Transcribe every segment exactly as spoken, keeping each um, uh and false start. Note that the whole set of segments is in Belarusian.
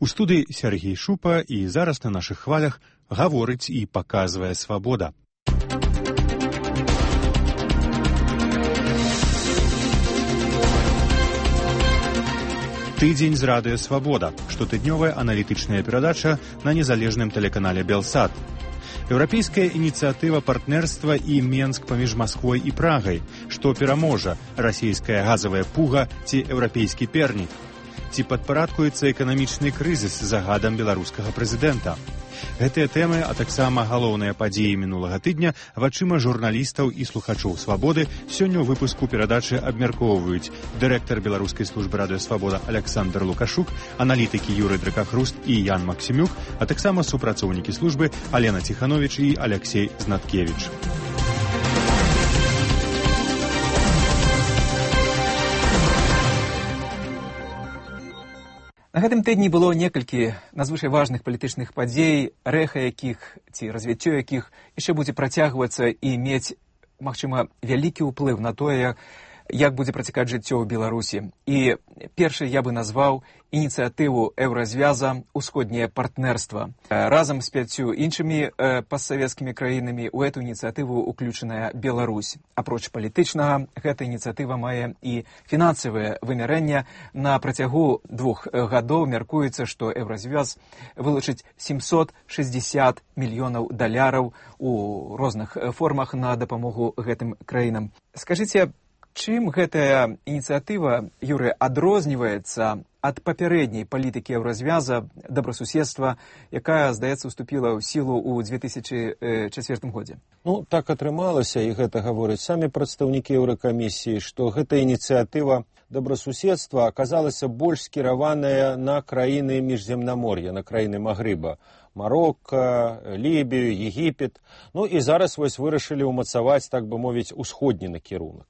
У студыі Сергей Шупа, і зараз на нашых хвалях гаворыць і паказвае свабода. Тыдзень з радыё «Свабода» – штотыднёвая аналітычная перадача на незалежным тэлеканале «Белсат». Еўрапейская ініцыятыва партнерства і Менск паміж Масквой і Прагай, што пераможа расійская газавая пуга ці еўрапейскі пернік. Ці падпарадкуецца эканамічны крызіс загадам беларускага прэзідэнта. Гэтыя тэмы, а таксама галоўныя падзеі мінулага тыдня вачыма журналістаў і слухачоў «Свабоды» сёння ў выпуску перадачы абмяркоўваюць дырэктар беларускай службы радыё «Свабода» Александр Лукашук, аналітыкі Юрый Дракахруст і Ян Максімюк, а таксама супрацоўнікі службы Алена Ціхановіч і Алексей Знаткевіч. На гэтым тыдні было некалькі надзвычай важных палітычных падзей, рэха якіх ці развіццё якіх яшчэ будзе працягвацца і мець, магчыма, вялікі ўплыў на тое, як будзе працякаць жыццё ў Беларусі. І першы я бы назваў ініцыятыву еўразвяза «Усходняе партнерства». Разам з пяццю іншымі постсавецкімі краінамі ў эту ініцыятыву ўключаная Беларусь. Апроч палітычнага, гэта ініцыятыва мае і фінансавае вымярэнне. На працягу двух гадоў мяркуецца, што еўразвяз вылучыць сямьсот шэсцьдзесят мільёнаў даляраў у розных формах на дапамогу гэтым краінам. Скажыце, чым гэтая ініцыятыва, Юрый, адрозніваецца ад папярэдняй палітыкі еўразвяза добрасуседства, якая, здаецца, уступіла ў сілу ў две тысячы чацвёртым годзе? Ну, так атрымалася, і гэта гавораць самі прадстаўнікі Еўракамісіі, што гэта ініцыятыва добрасуседства аказалася больш скіраваная на краіны міжземнамор'я, на краіны Магрыба. Марокко, Лібію, Егіпет. Ну і зараз вось вырашылі ўмацаваць, так бы мовіць, усходні накірунак.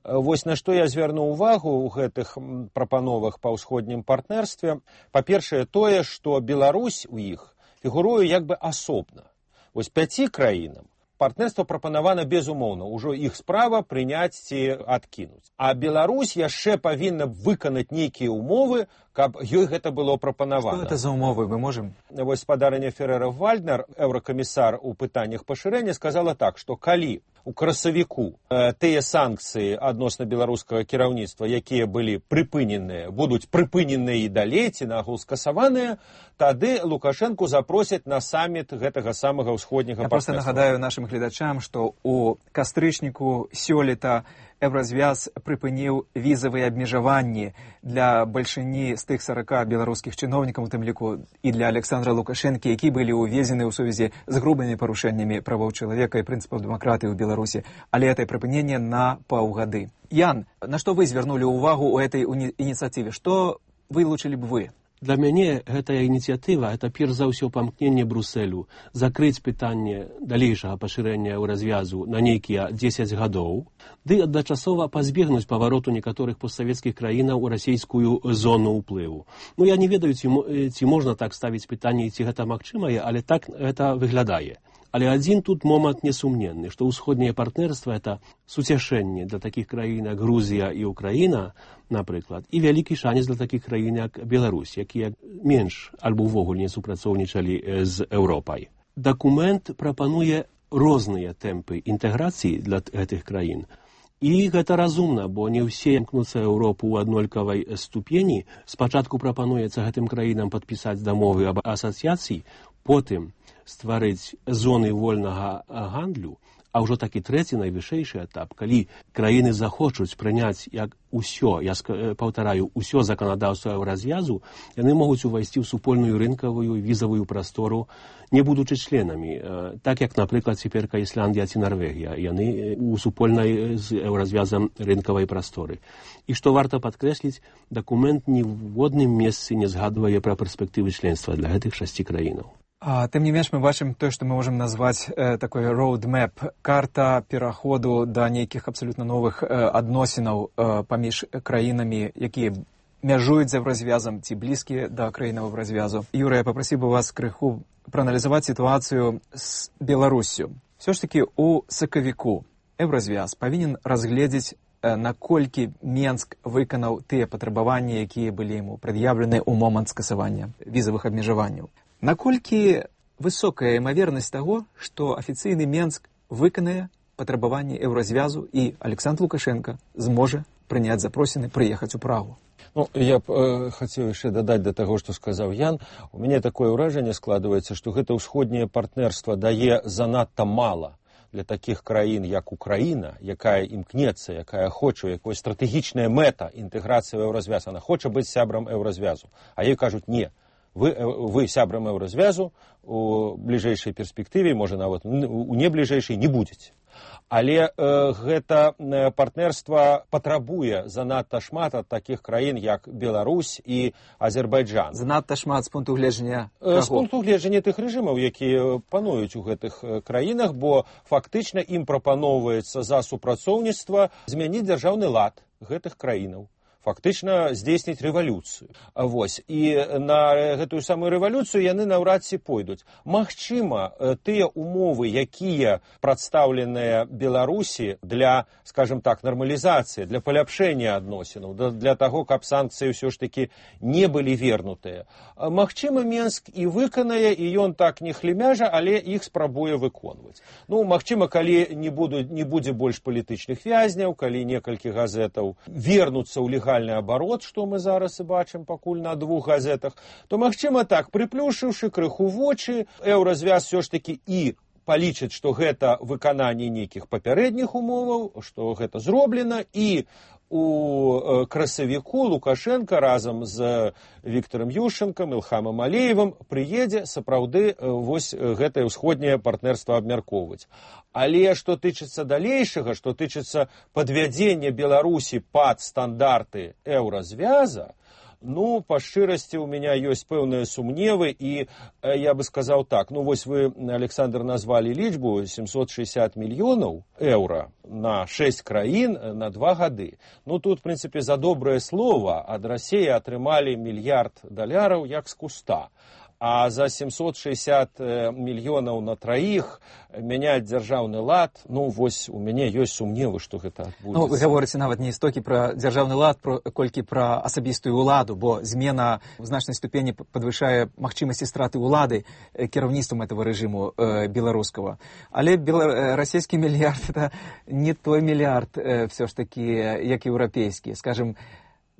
Вось на што я звярнуў увагу ў гэтых прапановах па ўсходнім партнерстве. Па-першае, тое, што Беларусь у іх фігуруе як бы асобна. Вось пяці краінам партнерство прапанавана безумоўна, ужо іх справа прыняць ці адкінуць. А Беларусь яшчэ павінна выканаць нейкія ўмовы, каб ёй гэта было прапанавана. Што гэта за ўмовы, мы можам? Вось спадарня Феррера-Вальднер, еўракамісар у пытаннях пашырэння, сказала так, што калі у красавіку э, тыя санкцыі адносна беларускага кіраўніцтва, якія былі прыпыненыя, будуць прыпыненыя і далей ці нагул скасаваныя, тады Лукашэнку запросяць на саміт гэтага самага ўсходняга партнерства. Я проста нагадаю нашым гледачам, што у кастрычніку сёлета еўразвяз прыпыніў візавыя абмежаванні для бальшыні з тых сарака беларускіх чыноўнікаў, у тым ліку і для Александра Лукашэнкі, які былі ўвезены ў сувязі з грубымі парушэннямі правоў чалавека і прынцыпаў дэмакратыі ў Беларусі, але гэта прыпыненне на паўгады. Ян, на што вы звярнулі ўвагу ў этой ініцыятыве? Што вылучылі б вы? Для мяне гэтая ініцыятыва – это перш за ўсё памкненне Брусэлю закрыць пытанне далейшага пашырэння развязу на нейкія дзесяць гадоў, ды адначасова пазбегнуць павароту некаторых постсавецкіх краінаў у расійскую зону ўплыву. Ну, я не ведаю, ці, ці можна так ставіць пытанне, ці гэта магчымае, але так гэта выглядае. Але адзін тут момант несумненны, што ўсходняе партнерства – это суцяшэнне для такіх краін, як Грузія і Украіна, напрыклад, і вялікі шанец для такіх краін, як Беларусь, якія менш альбо ўвогуле не супрацоўнічалі з Еўропай. Дакумент прапануе розныя тэмпы інтэграцыі для гэтых краін. І гэта разумна, бо не ўсе імкнуцца Еўропу ў аднолькавай ступені. Спачатку прапануецца гэтым краінам падпісаць дамовы аб асацыяцыі, потым стварыць зоны вольнага гандлю, а ўжо такі трэці найвышэйшы этап, калі краіны захочуць прыняць як усё, я паўтараю, усё заканадаўства развязу, яны могуць увайсці ў супольную рынкавую візавую прастору, не будучы членамі, так як, напрыклад, цяперка Ісландія ці Нарвегія, яны у супольнай з развязам рынкавай прасторы. І што варта падкрэсліць, дакумент ні ў водным месцы не згадвае пра перспектывы членства для гэтых шасці краінаў. А, тым не менш, мы бачым тое, што мы можам назваць э, такой roadmap, карта пераходу да нейкіх абсалютна новых э, адносінаў э, паміж краінамі, якія мяжуюць за развязам ці блізкія да краінаў развязу. Юрый, я папрасіў бы вас крыху прааналізаваць сітуацыю з Беларуссю. Все ж таки у сакавіку еўразвяз павінен разгледзець наколькі Менск выканаў тыя патрабаванні, якія былі яму прад'яўлены ў момант скасавання візавых абмежаванняў. Наколькі высокая імавернасць таго, што афіцыйны Менск выканае патрабаванні еўразвязу і Александр Лукашенко зможа прыняць запросіны прыехаць у Прагу? Ну, я б э, хацеў яшчэ дадаць да таго, што сказаў Ян. У мяне такое ўражанне складваецца, што гэта ўсходняе партнерства дае занадта мала для такіх краін, як Украіна, якая імкнецца, якая хоча, якая стратэгічная мэта інтэграцыі ў еўразвяз. Она хоча быць сябрам еўразвязу. А ёй кажуць, не, вы, вы сябрам еўразвязу у бліжэйшай перспектыве, можа нават у небліжэйшай не будзеце. Але э, гэта партнерства патрабуе занадта шмат ад такіх краін, як Беларусь і Азербайджан. Занадта шмат з пункту гледжання каго? З пункту гледжання тых рэжымаў, якія пануюць у гэтых краінах, бо фактычна ім прапаноўваецца за супрацоўніцтва змяніць дзяржаўны лад гэтых краінаў. Фактычна здзейсніць рэвалюцыю. Вось. І на гэтую самую рэвалюцыю яны наўрад ці пойдуць. Магчыма, тыя умовы, якія прадстаўленыя Беларусі для, скажем так, нармалізацыі, для паляпшэння адносінаў, для таго, каб санкцыі ўсё ж такі не былі вернутыя. Магчыма, Менск і выканае, і ён так не хлемяжа, але іх спрабуе выконваць. Ну, магчыма, калі не, буду, не будзе больш палітычных вязняў, калі некалькі газетаў вернуцца ў легальнасць оборот, што мы зараз і бачым пакуль на двух газетах, то, магчыма, так, прыплюшыўшы крыху вочы, еўразвяз все ж такі і палічыць, што гэта выкананне нейкіх папярэдніх умоваў, што гэта зроблена, і у красавіку Лукашенко разам з Віктором Ющенком, Ілхамом Алеевым прыедзе сапраўды вось гэтае ўсходняе партнерства абмяркоўваць. Але што тычыцца далейшага, што тычыцца падвядзення Беларусі пад стандарты еўразвяза, ну, па шчырасці, у меня ёсць пэўныя сумневы, і я бы сказаў так, ну, вось вы, Александр, назвалі лічбу семьсот шестьдесят мільёнаў еўра на шэсць краін на два гады. Ну, тут, в прынцыпе, за добрае слова ад Расіі атрымалі мільярд даляраў як з куста. А за семьсот шестьдесят мільёнаў на траіх мяняць дзяржаўны лад, ну, вось у мяне ёсць сумневы, што гэта адбудзецца. Ну, вы гаворыце нават не столькі пра дзяржаўны лад, про, колькі пра асабістую ўладу, бо змена ў значнай ступені падвышае магчымасці страты ўлады кіраўніцтвам этого рэжыму э, беларускага. Але бела... расійскі мільярд — это не той мільярд э, все ж таки, як еўрапейскі. Скажем,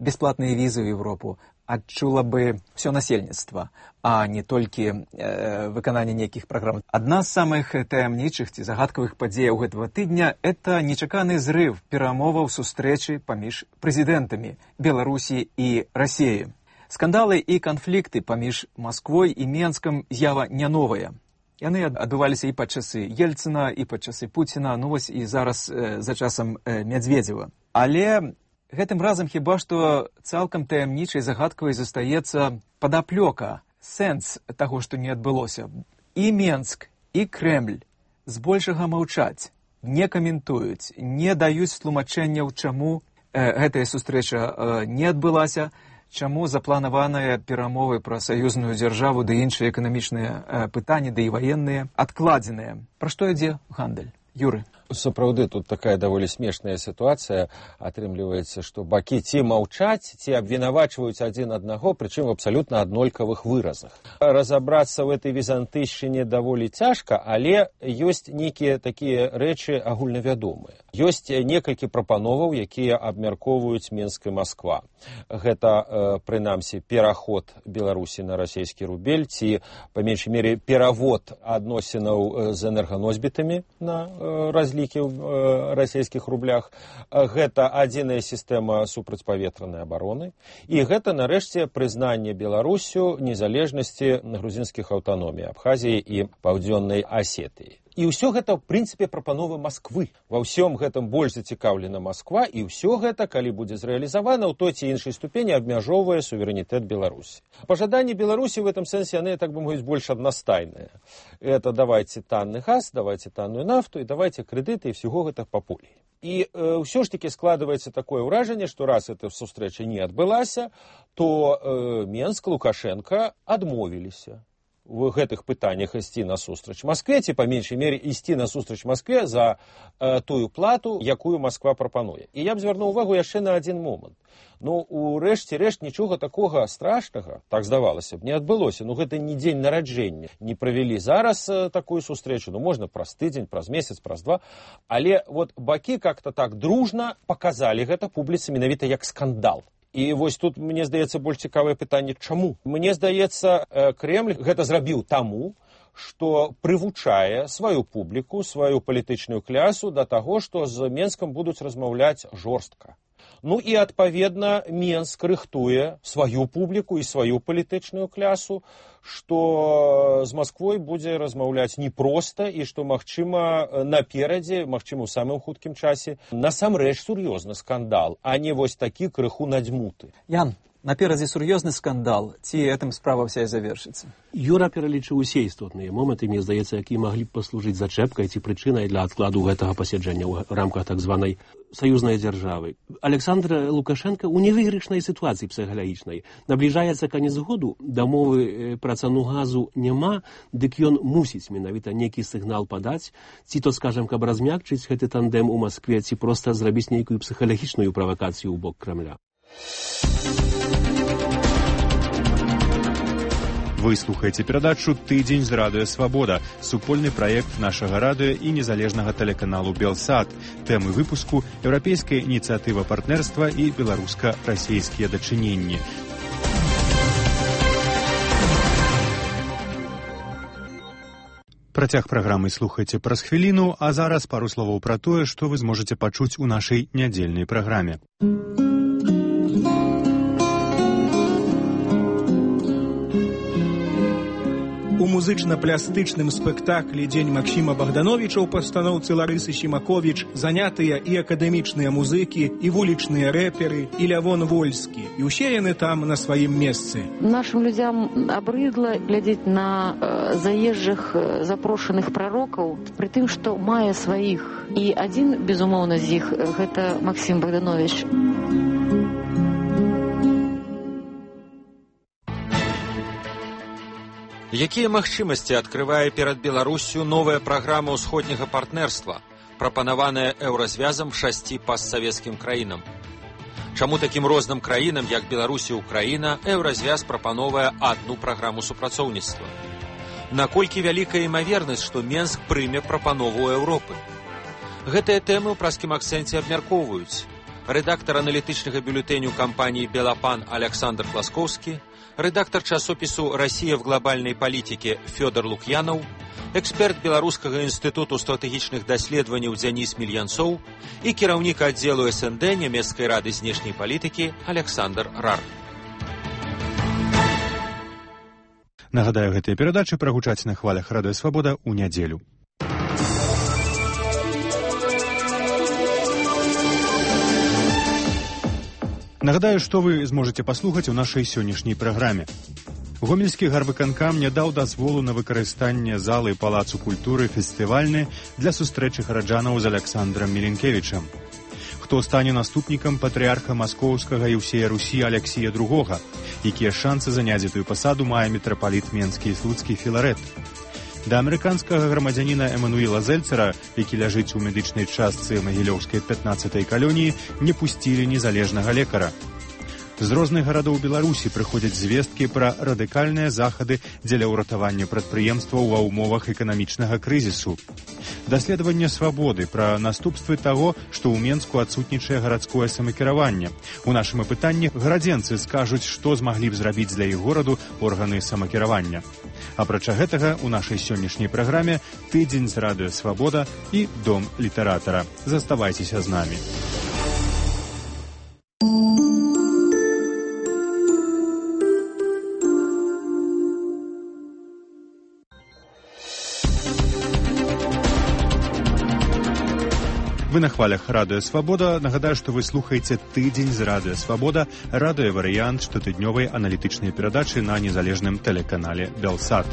бесплатныя візы ў Европу адчула бы все насельніцтва, а не толькі э, выкананне нейкіх праграм. Адна з самых таямнічых ці загадкавых падзеяў гэтага тыдня — это нечаканы зрыв перамоваў сустрэчы паміж прэзідэнтамі Беларусі і Расіі. Скандалы і канфлікты паміж Масквой і Менскам з'ява не новая. Яны адбываліся і пад часы Ельцына, і пад часы Пуціна, ну вось і зараз э, за часам э, Мядзведзева. Але гэтым разам хіба што цалкам таямнічай загадкавай застаецца падаплёка, сэнс таго, што не адбылося. І Менск, і Крэмль збольшага маўчаць, не каментуюць, не даюць тлумачэнняў, чаму э, гэтая сустрэча э, не адбылася, чаму запланаваныя перамовы пра саюзную дзяржаву ды іншыя эканамічныя э, пытанні, ды і ваенныя адкладзеныя. Пра што ідзе гандаль? Юры. Сапраўды, тут такая даволі смешная сітуацыя. Атрымліваецца, што бакі ці маўчаць, ці абвінавачваюць адзін аднаго, прычым в абсалютна аднолькавых выразах. Разабрацца ў этой візантыйшчыне даволі цяжка, але ёсць нейкія такія рэчы агульнавядомыя. Ёсць некалькі прапановаў, якія абмяркоўваюць Менск і Масква. Гэта, прынамсі, пераход Беларусі на расійскі рубель, ці, па меншай мере, перавод адносінаў з энерганосьбітамі на разлікі ў расійскіх рублях. Гэта адзіная сістэма супрацьпаветранай абароны. І гэта, нарэшце, прызнанне Беларусю незалежнасці грузінскіх аўтаномій Абхазіі і Паўдзённай Асетыі. І ўсё гэта, ў прынцыпе, прапановы Масквы. Ва ўсём гэтым больш зацікаўлена Масква, і ўсё гэта, калі будзе зрэалізавана, ў той ці іншай ступені абмяжоўвае суверэнітэт Беларусі. Пажаданні Беларусі в этом сэнсе, яны, так бы мовіць, больш аднастайныя. Это давайте танны газ, давайте танную нафту, і давайте крэдыты, і всего гэта па полі. І э, ўсё ж таки складваецца такое ўражанне, што раз эта сустрэча не адбылася, то э, Менск, Лукашенко адмовіліся в гэтых пытаннях ісці насустрач Маскве, ці, па меншай мере, ісці насустрач Маскве за э, тую плату, якую Масква прапануе. І я б звярнуў увагу яшчэ на адзін момант. Ну, у рэшце рэшт нічога такога страшнага, так здавалася б, не адбылося. Ну, гэта не дзень нараджэння. Не правялі зараз э, такую сустрэчу, ну, можна праз тыдзень, праз месяц, праз два. Але вот бакі как-то так дружна показалі гэта публіцы менавіта як скандал. І вось тут, мне здаецца, больш цікавае пытанне, чаму? Мне здаецца, Кремль гэта зрабіў таму, што прывучае сваю публіку, сваю палітычную клясу да таго, што з Менскам будуць размаўляць жорстка. Ну і, адпаведна, Менск рыхтуе сваю публіку і сваю палітычную клясу, што з Масквой будзе размаўляць непроста і што, магчыма, наперадзе, магчыма, у самым хуткім часе, насамрэч сур'ёзны скандал, а не вось такі крыху надзьмуты. Ян, наперадзе сур'ёзны скандал, ці гэтым справа вся і завершыцца? Юра пералічыў усе істотныя моманты, мне здаецца, якія маглі б паслужыць зачэпкай ці прычынай для адкладу гэтага пасяджэння ў рамках так званай саюзнай дзяржавы. Александр Лукашенко ў невыйгрышнай сітуацыі псіхалагічнай. Набліжаецца канец году, дамовы пра цану газу няма, дык ён мусіць менавіта нейкі сігнал падаць, ці то, скажам, каб размякчыць гэты тандем у Маскве, ці проста зрабіць нейкую псіхалагічную правакацыю ў бок Крамля. Вы слухаеце перадачу «Тыдзень з радыё Свабода», супольны праект нашага радыё і незалежнага тэлеканалу «Белсат». Тэмы выпуску – еўрапейская ініцыятыва партнерства і беларуска-расійскія дачыненні. Працяг праграмы слухайце праз хвіліну, а зараз пару словаў пра тое, што вы зможаце пачуць у нашай нядзельнай праграме. У музычна-плястычным спектаклі «Дзень Максіма Богдановича» ў пастаноўцы Ларысы Сімаковіч занятыя і акадэмічныя музыкі, і вулічныя рэперы, і Лявон Вольскі. І ўсе яны там на сваім месцы. Нашим людзям абрыдла глядзець на э, заезжых э, запрошаных прарокаў, пры тым, што мае сваіх. І адзін, безумоўна, з іх – гэта Максім Богданович. Якія магчымасці адкрывае перад Беларуссю новая праграма ўсходняга партнерства, прапанаваная еўразвязам шасці постсавецкім краінам? Чаму такім розным краінам, як Беларусь і Украіна, еўразвяз прапановае адну праграму супрацоўніцтва? Наколькі вялікая імавернасць, што Менск прыме прапанову Еўропы? Гэтыя тэмы ў праскім акцэнце абмяркоўваюць рэдактар аналітычнага бюлетэню кампаніі «Белапан» Александр Класкоўскі, редактор часопису «Россия в глобальной политике» Федор Лукьянов, эксперт Белорусского института стратегичных даследований Денис Мильянцов и кіраўнік отделу СНД Немецкой рады знешней политики Александр Рар. Нагадаю, гэтыя перадачы прагучаць на хвалях Радыё Свабода ў нядзелю. Нагадаю, што вы зможаце паслухаць у нашай сённяшняй праграме. Гомельскі гарвыканкам не даў дазволу на выкарыстанне залы Палацу культуры фестывальны для сустрэчы гараджанаў з Александрам Міленкевічам. Хто стане наступнікам патрыарха Маскоўскага і ўсея Русі Алексія другога, якія шансы заняць гэтую пасаду мае мітрапаліт Менскі і Слуцкі Філарэт. Да амерыканскага грамадзяніна Эмануіла Зельцера, які ляжыць у медычнай частцы магілёўскай пятнаццатай калоніі, не пусцілі незалежнага лекара. З розных гарадоў Беларусі прыходзяць звесткі пра радыкальныя захады дзеля ўратавання прадпрыемстваў ва ўмовах эканамічнага крызісу. Даследаванне «Свабоды» пра наступствы таго, што ў Менску адсутнічае гарадское самакіраванне. У нашым апытанні гарадзенцы скажуць, што змаглі б зрабіць для іх гораду органы самакіравання. Апрача гэтага, у нашай сённяшняй праграме «Тыдзень з Радыё Свабода» і «Дом літаратара». Заставайцеся з намі. Вы на хвалях Радыё Свабода. Нагадаю, што вы слухаеце «Тыдзень з Радыё Свабода», радыёварыянт штотыднёвай аналітычнай перадачы на незалежным тэлеканале «Белсат».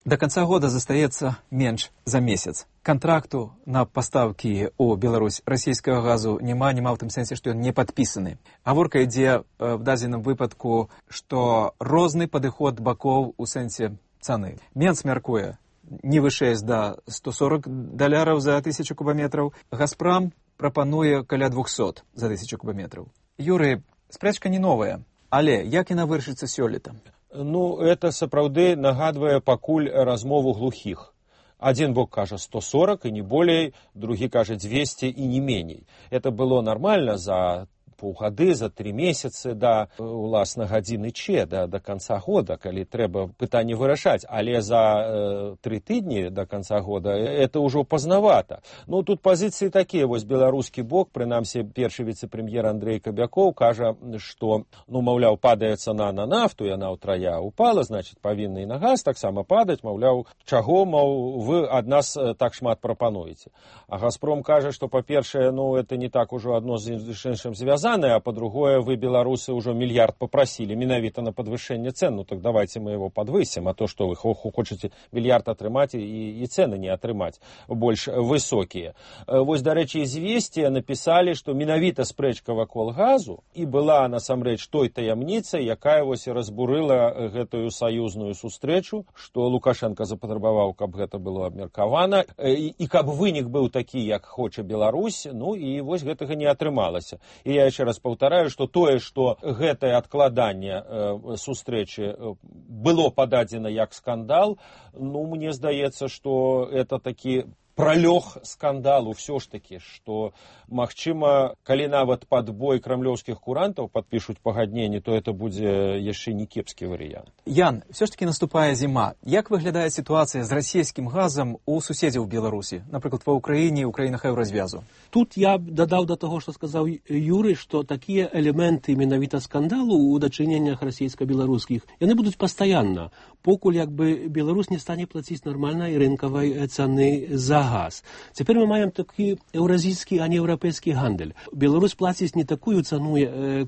До конца года застаецца менш за месяц. Контракту на поставки у Беларусь российского газу няма, няма в тым сэнсе, што ён не падпісаны. Гаворка ідзе в дадзеным выпадку, што розны падыход бакоў у сэнсе цаны. Менц мяркуе не вышэй за сто сорок даляраў за тысячу кубометраў. Газпром прапануе каля двухсот за тысячу кубометраў. Юрый, спрэчка не новая, але як яна вырашыцца сёлета? Ну, это сапраўды нагадвае пакуль размову глухіх. Один бок кажа сто сорок и не болей, другі кажа двести и не меней. Это было нормально за паўгады, за три месяцы да уласна гадзіны че, да, до конца года, калі трэба пытанне вырашаць. Але за э, три тыдні до конца года это ўжо пазнавата. Ну, тут пазіцыі такія. Вось беларускі бок, прынамсі першы віцэ-прэм'ер Андрей Кабякоў кажа, што, ну, маўляў, падае цана на нафту, яна ўтрая упала, значит, павінна і на газ таксама падаць, маўляў, чаго, маў, вы ад нас так шмат прапануеце. А Газпром кажа, што, па-першае, ну, это не так ужо адно з іншым звязана, а по-другое, вы, белорусы, уже миллиард попросили менавіта на подвышение цен, ну так давайте мы его подвысим, а то, что вы хочете миллиард атрымаць и, и цены не атрымаць больш высокие. Вось, дарэчы, известия написали, что менавіта спрэчка вакол газу и была насамрэч той таямніцай, якая вось разбурыла гэтую саюзную сустрэчу, что Лукашенко запатрабаваў, каб гэта было абмеркавана, и, и каб вынік быў такі, як хоча Беларусь, ну и вось гэтага не атрымалася. И я еще раз повторяю, что тое, что гэтае адкладанне э, сустрэчы э, было пададзена як скандал, ну, мне здаецца, что это такі пролег скандалу все ж таки, что, магчыма, калі нават пад бой крамлёўскіх курантаў падпішуць пагадненне, то это будзе яшчэ не кепскі варыянт. Ян, все ж таки наступае зіма. Як выглядае сітуацыя з расійскім газам у суседзяў Беларусі, напрыклад, ва Ўкраіне і ў краінах еўразвязу? Тут я дадаў да таго, што сказаў Юрый, што такія элементы менавіта скандалу ў дачыненнях расійска-беларускіх, яны будуць пастаянна, покуль як бы Беларусь не стане плаціць нармальнай рынкавай цаны за газ. Цяпер мы маем такі еўразійскі, а не еўрапейскі гандаль. Беларусь плаціць не такую цану,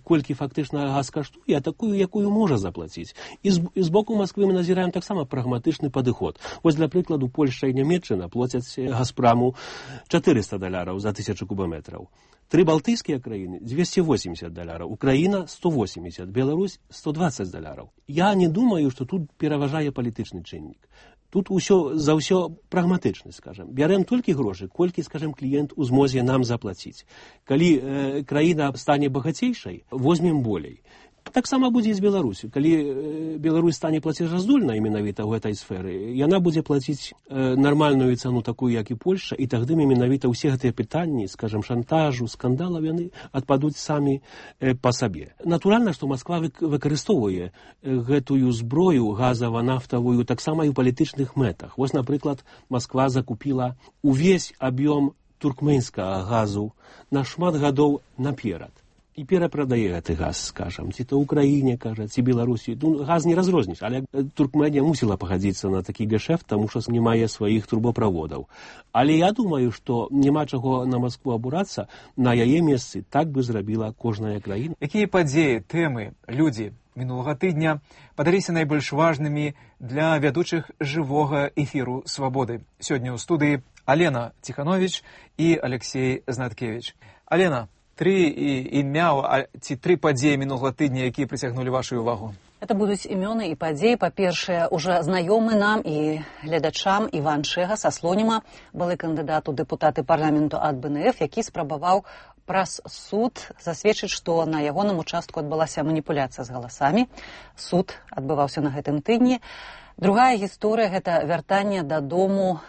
колькі фактычна газ каштуе, а такую, якую можа заплаціць. І з, і з боку Масквы мы назіраем таксама прагматычны падыход. Вось, для прыкладу, Польшча і Нямецчына плацяць Газпраму чатырыста даляраў за тысячу кубометраў. Тры балтыйскія краіны двести восемьдесят даляраў, Украіна сто восемьдесят, Беларусь сто двадцать даляраў. Я не думаю, што тут пераважае палітычны чыннік. Тут усё за ўсё прагматычна, скажем. Бярем толькі грошы, колькі, скажем, кліент у змозе нам заплаціць. Калі э, краіна стане багацейшай, возьмем болей. Таксама будзе і з Беларусю. Калі э, Беларусь стане плацежаздольнай менавіта ў гэтай сферы, яна будзе плаціць э, нармальную цану такую, як і Польшча, і тагды менавіта ўсе гэтыя пытанні, скажем, шантажу, скандалаў, яны адпадуць самі э, па сабе. Натуральна, што Масква выкарыстоўвае э, гэтую зброю газава-нафтавую таксама і ў палітычных мэтах. Вось, напрыклад, Масква закупіла увесь аб'ём туркменскага газу на шмат гадоў наперад. І перапрадае гэты газ, скажам, ці то Украіне, кажа, ці Беларусі. Ну, газ не разрозніш, але Туркменія мусіла пагадзіцца на такі гешэфт, таму што не мае сваіх трубаправодаў. Але я думаю, што няма чаго на Маскву абурацца, на яе месцы так бы зрабіла кожная краіна. Якія падзеі, тэмы, людзі мінулага тыдня падаліся найбольш важнымі для вядучых жывога эфіру «Свабоды»? Сёння ў студыі Алена Ціхановіч і Алексей Знаткевіч. Алена, Тры імя ці тры падзеі мінулага тыдня, якія прыцягнулі вашу увагу? Это будуць імёны і падзеі. Па-першае, уже знаёмы нам і гледачам Іван Шэга са Слоніма, былы кандыдат у дэпутаты парламенту ад бэ эн эф, які спрабаваў праз суд засведчыць, што на ягоным участку адбылася маніпуляцыя з галасамі. Суд адбываўся на гэтым тыдні. Другая гісторыя – гэта вяртанне дадому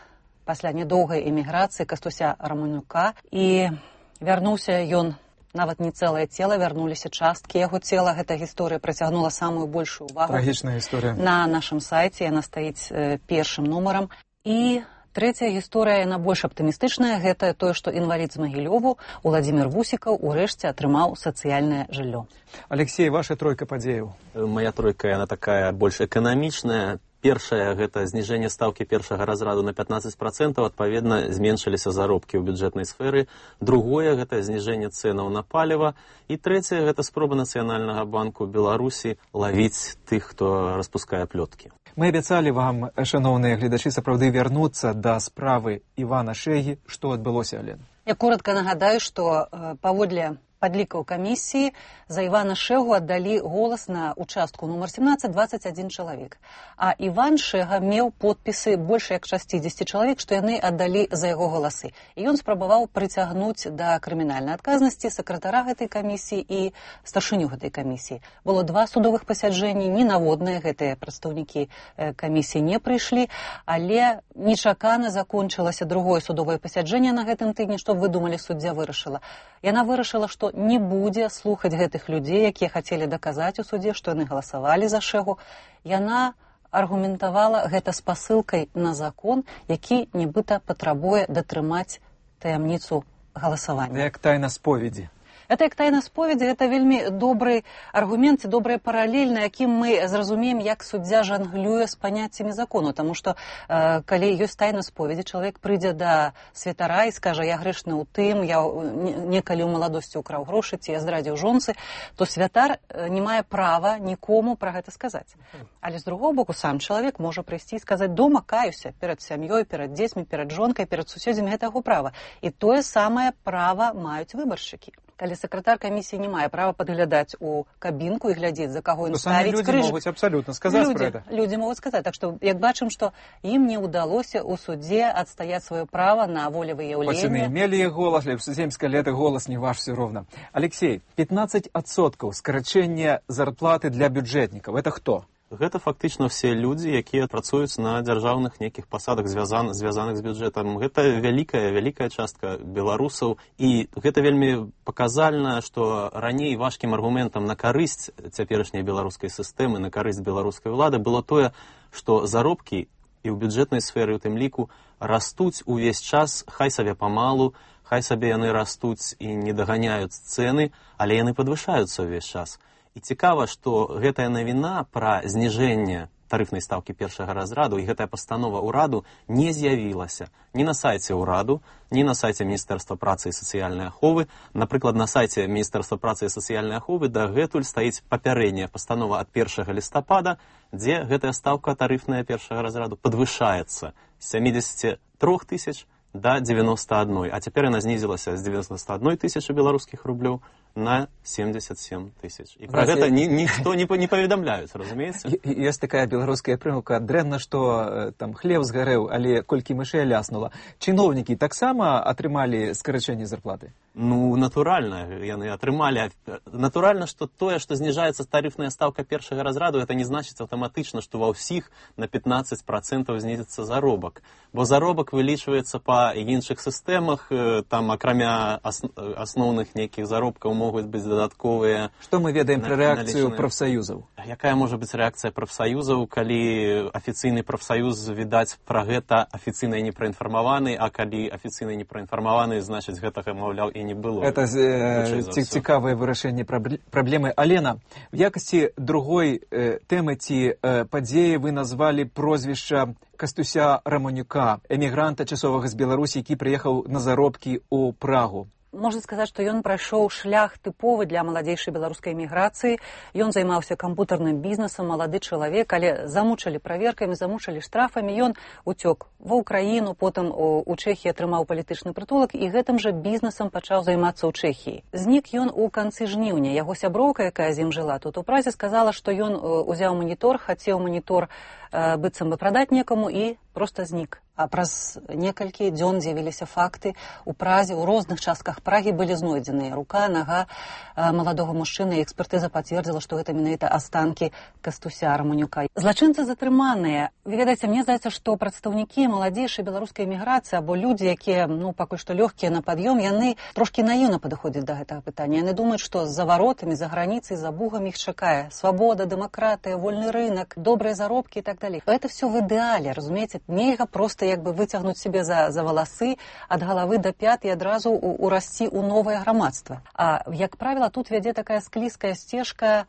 пасля нядоўгай эміграцыі Кастуся Раманюка. І вярнуўся ён, нават не цэлае цела, вярнуліся часткі яго цела. Гэта гісторыя прыцягнула самую большую увагу. Трагічная гісторыя. На нашым сайце яна стаіць э, першым нумарам. І трэцяя гісторыя, яна больш аптымістычная, гэта тое, што інвалід з Магілёву, Уладзімір Вусікаў, урэшце атрымаў сацыяльнае жыллё. Алексей, ваша тройка падзеяў? Моя тройка, яна такая больш эканамічная. Першае, гэта зніжэнне стаўкі першага разраду на пятнаццаць працэнтаў, адпаведна, зменшыліся заробкі ў бюджэтнай сферы. Другое, гэта зніжэнне цэнаў на паліва. І трэцяе, гэта спроба Нацыянальнага банку Беларусі лавіць тых, хто распускае плёткі. Мы абяцалі вам, шановныя гледачы, сапраўды вярнуцца да справы Івана Шэгі. Што адбылося, Алена? Я коротко нагадаю, што паводле падлікаў камісіі за Івана Шэгу аддалі голас на участку нумар семнаццаць дваццаць адзін чалавек. А Іван Шэга меў подпісы больш як шасцідзесят чалавек, што яны аддалі за яго галасы. І ён спрабаваў прыцягнуць да крымінальнай адказнасці сакратара гэтай камісіі і старшыню гэтай камісіі. Было два судовых пасяджэнні, ненаводныя гэтыя прадстаўнікі камісіі не прыйшлі, але нечакана закончылася другое судовае пасяджэнне на гэтым тыдні. Што вы думалі, суддзя вырашыла? Яна вырашыла, што не будзе слухаць гэтых людзей, якія хацелі даказаць у судзе, што яны галасавалі за Шэгу. Яна аргументавала гэта спасылкай на закон, які нібыта патрабуе датрымаць таямніцу галасавання. Як тайна споведзі. Это як тайна споведзі, гэта вельмі добры аргумент і добрая паралель, на якім мы зразумеем, як суддзя жанглюе з паняццямі закону. Таму што, э, калі ёсць тайна споведзі, чалавек прыйдзе да святара і скажа, я грэшны ў тым, я некалі ў маладосці ўкраў грошы, ці я здрадзіў жонцы, то святар не мае права нікому пра гэта сказаць. Але з другого боку, сам чалавек можа прыйсці і сказаць, дома каюся перад сям'ёй, перад дзецьмі, перад жонкай, перад суседзямі, гэта яго права. І тое самае права маюць выбаршчыкі. Калі сакратар камісіі не мае права падглядаць у кабінку і глядзець, за каго ён ставіць крыж. Людзі могуць абсалютна сказаць людзі, пра гэта. Людзі могуць сказаць. Так што, як бачым, што ім не ўдалося ў судзе адстаяць сваё права на волевыяўленне. Хоць яны мелі іх голас, але судземскае лета голас не ваш все роўна. Алексей, пятнаццаць адсоткаў скарачэння зарплаты для бюджэтнікаў. Это хто? Гэта фактычна ўсе людзі, якія працуюць на дзяржаўных нейкіх пасадах, звязан, звязаных з бюджэтам. Гэта вялікая, вялікая частка беларусаў. І гэта вельмі паказальна, што раней важкім аргументам на карысць цяперашняй беларускай сістэмы, на карысць беларускай улады было тое, што заробкі і ў бюджэтнай сферы, у тым ліку, растуць увесь час, хай сабе памалу, хай сабе яны растуць і не даганяюць цэны, але яны падвышаюцца ўвесь час. І цікава, што гэтая навіна пра зніжэнне тарыфнай стаўкі першага разраду і гэтая пастанова ўраду не з'явілася ні на сайце ўраду, ні на сайце Міністэрства працы і сацыяльнай аховы. Напрыклад, на сайце Міністэрства працы і сацыяльнай аховы дагэтуль стаіць папярэдняя пастанова ад першага лістапада, дзе гэтая стаўка тарыфная першага разраду падвышаецца з сямідзесяці трох тысяч да дзевяноста адной, а цяпер яна знізілася з дзевяноста адной тысячы беларускіх рублёў на семьдесят семь тысяч. І пра гэта ні, ніхто не, не паведамляюць, разумееце? Ёсць такая беларуская прымаўка, дрэнна, што там хлеб згарэў, але колькі мышэй ляснула. Чыноўнікі таксама атрымалі скарачэнне зарплаты? Ну, натуральна, яны атрымалі. Натуральна, што тое, што зніжаецца тарыфная стаўка першага разраду, это не значыць аўтаматычна, што ва ўсіх на пятнаццаць працэнтаў знізіцца заробак. Бо заробак вылічваецца па іншых сістэмах, там акрамя асноўных нейкіх заробкаў могуць быць дадатковыя. Што мы ведаем пра рэакцыю прафсаюзаў? Якая можа быць рэакцыя прафсаюзаў, калі афіцыйны прафсаюз, відаць, пра гэта афіцыйна не праінфармаваны, а калі афіцыйна не праінфармаваны, значыць, гэтага, маўляў, і не было. Это э, цікавае вырашэнне праблемы. Алена, в якасці другой э, тэмы ці э, падзеі вы назвалі прозвішча Кастуся Раманюка, эмігранта часовага з Беларусі, які прыехаў на заробкі ў Прагу. Можна сказаць, што ён прайшоў шлях тыповы для маладзейшай беларускай эміграцыі. Ён займаўся кампутарным бізнесам, малады чалавек, але замучылі праверкамі, замучылі штрафамі. Ён уцёк ва ўкраіну, потым у Чэхіі атрымаў палітычны прытулак і гэтым жа бізнесам пачаў займацца ў Чэхіі. Знік ён у канцы жніўня. Яго сяброўка, якая з ім жыла тут у Празе, сказала, што ён узяў манітор, хацеў манітор быццам бы прадаць некаму і проста знік. А праз некалькі дзён з'явіліся факты. У Празе, у розных частках Прагі былі знойдзеныя рука, нага маладога мужчыны, і экспертыза пацвердзіла, што гэта менавіта астанкі Кастуся Раманюка. Злачынцы затрыманыя. Вы ведаеце, мне здаецца, што прадстаўнікі маладзейшай беларускай эміграцыі або людзі, якія, ну, пакуль што лёгкія на пад'ём, яны трошкі наіўна падыходзяць да гэтага пытання. Яны думаюць, што за варотамі, за граніцай, за бугам іх чакае свабода, дэмакратыя, вольны рынок, добрыя заробкі і так далей. Это все в ідэале, разумееце? Нельга проста як бы выцягнуць себе за, за валасы ад галавы да пят і адразу урасці ў новае грамадства. А, як правіла, тут вядзе такая склізкая сцежка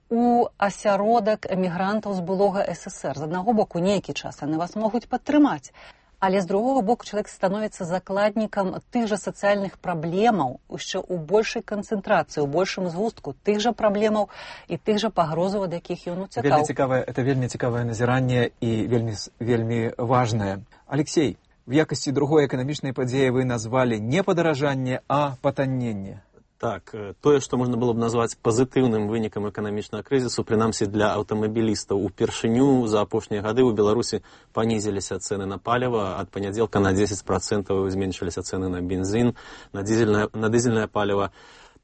у асяродак эмігрантаў з былога эс эс эр. З аднаго боку, нейкі час яны вас могуць падтрымаць, але з другого боку чалавек становіцца закладнікам тых жа сацыяльных праблемаў, яшчэ ў большай канцэнтрацыі, у большым згустку тых жа праблемаў і тых жа пагрозаў, ад якіх ён уцякаў. Вельмі цікавае, это вельмі цікавае назіранне і вельмі, вельмі важнае. Алексей, в якасці другой эканамічнай падзеі вы назвалі не падаражанне, а патанненне. Так, тое, што можна было б назваць пазітыўным вынікам эканамічнага крызісу, прынамсі для аўтамабілістаў, упершыню за апошнія гады ў Беларусі панізіліся цэны на паліва, ад панядзелка на дзесяць працэнтаў зменшыліся цэны на бензін, на дызельнае, на дызельнае паліва.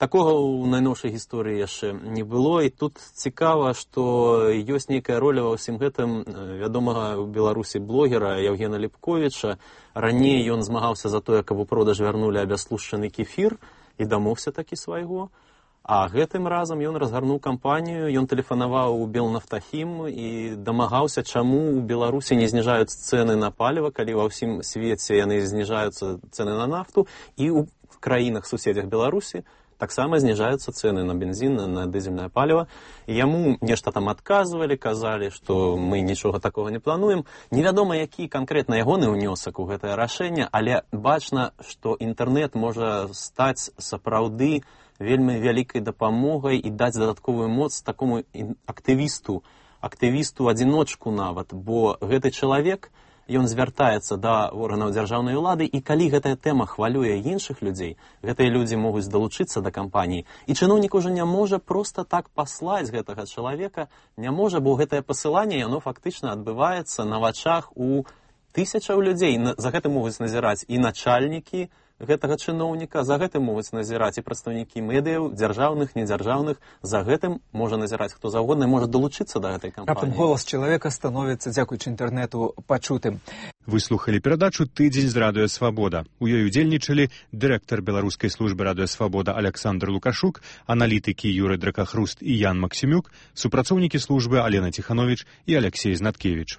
Такога ў найноўшай гісторыі яшчэ не было, і тут цікава, што ёсць нейкая роля ва ўсім гэтым вядомага ў Беларусі блогера Яўгена Ліпковіча. Раней ён змагаўся за тое, каб у продаж вярнулі абяслушчаны кефір, і дамогся такі свайго. А гэтым разам ён разгарнуў кампанію, ён тэлефанаваў у Белнафтахім і дамагаўся, чаму ў Беларусі не зніжаюцца цэны на паліва, калі ва ўсім свеце яны зніжаюцца цэны на нафту, і ў краінах суседзях Беларусі таксама зніжаюцца цэны на бензін, на дызельнае паліва. І яму нешта там адказвалі, казалі, што мы нічога такога не плануем. Невядома, які канкрэтна ягоны ўнёсак у гэтае рашэнне, але бачна, што інтэрнэт можа стаць сапраўды вельмі вялікай дапамогай і даць дадатковую моц такому актывісту, актывісту-адзіночку нават, бо гэты чалавек, ён звяртаецца да органаў дзяржаўнай улады, і калі гэтая тэма хвалюе іншых людзей, гэтыя людзі могуць далучыцца да кампаніі, і чыноўнік ужо не можа проста так паслаць гэтага чалавека, не можа, бо гэтае пасыланне, яно фактычна адбываецца на вачах у тысячаў людзей. За гэтым могуць назіраць і начальнікі гэтага чыноўніка, за гэтым могуць назіраць і прадстаўнікі медыяў, дзяржаўных, недзяржаўных, за гэтым можа назіраць хто заўгодна і можа далучыцца да гэтай кампаніі. Раптам голас чалавека становіцца, дзякуючы інтэрнэту, пачутым. Вы слухалі перадачу «Тыдзень з Радыё Свабода». У ёй удзельнічалі дырэктар беларускай службы Радыё Свабода Александр Лукашук, аналітыкі Юрый Дракахруст і Ян Максімюк, супрацоўнікі службы Алена Ціхановіч і Алексей Знаткевіч.